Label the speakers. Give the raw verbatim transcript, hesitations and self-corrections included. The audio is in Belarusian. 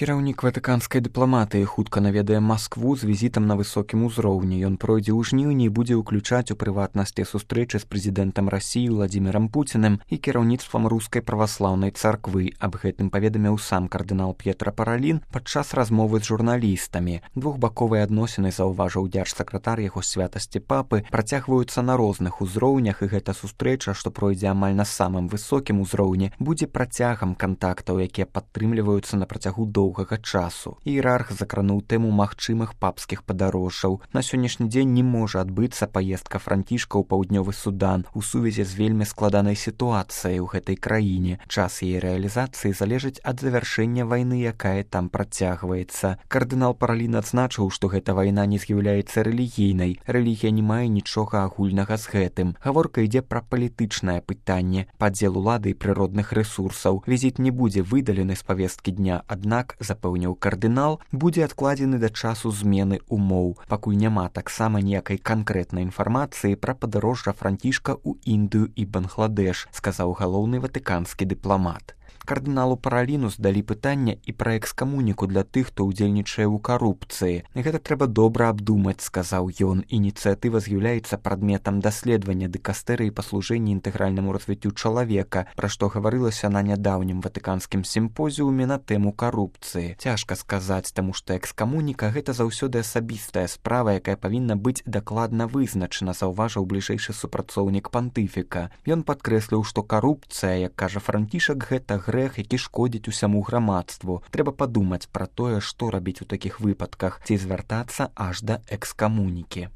Speaker 1: Кіраўнік ватыканскай дыпламатыі хутка наведае Маскву з візітам на высокім узроўні. Ён пройдзе ў жніўні і будзе ўключаць у прыватнасці сустрэчы з прэзідэнтам Расіі Владзімірам Пуціним і кіраўніцтвам рускай праваслаўнай царквы. Аб гэтым паведаміў сам кардынал П'етра Паралін падчас размовы з журналістамі. Двухбаковыя адносіны, заўважыў дзяржсакратар яго святасці папы, працягваюцца на розных узроўнях, і гэта сустрэча, што пройдзе амаль на самым высокім узроўні, будзе працягам кантактаў, якія падтрымліваюцца на працягу доўгага часу. Іерарх закрануў тэму магчымых папскіх падарожжаў. На сённяшні дзень не можа адбыцца паездка Францішка ў паўднёвы Судан у сувязі з вельмі складанай сітуацыяй у гэтай краіне. Час яе рэалізацыі залежыць ад завяршэння вайны, якая там працягваецца. Кардынал Паралін адзначыў, што гэта вайна не з'яўляецца рэлігійнай. Рэлігія не мае нічога агульнага з гэтым. Гаворка ідзе пра палітычнае пытанне, падзел улады і прыродных рэсурсаў. Візіт не будзе выдалены з павесткі дня, аднак, запэўніў кардынал, будзе адкладзены да часу змены умоў. Пакуль няма таксама ніякай канкрэтнай інфармацыі пра падарожжа Францішка ў Індыю і Бангладеш, сказаў галоўны ватыканскі дыпламат. Кардыналу Параліну здалі пытання і пра экскамуніку для тых, хто ўдзельнічае ў карупцыі. Гэта трэба добра абдумаць, сказаў ён. Ініцыятыва з'яўляецца прадметам даследавання дыкастэрыі па служэнні інтэгральнаму развіццю чалавека, пра што гаварылася на нядаўнім ватыканскім сімпозіуме на тэму карупцыі. Цяжка сказаць, таму што экскамуніка гэта заўсёды асабістая справа, якая павінна быць дакладна вызначана, заўважыў бліжэйшы супрацоўнік пантыфіка. Ён падкрэсліў, што карупцыя, як кажа Францішак, гэта грэх, які шкодзіць усяму грамадству. Трэба падумаць пра тое, што рабіць у такіх выпадках, ці звяртацца аж да экскамунікі.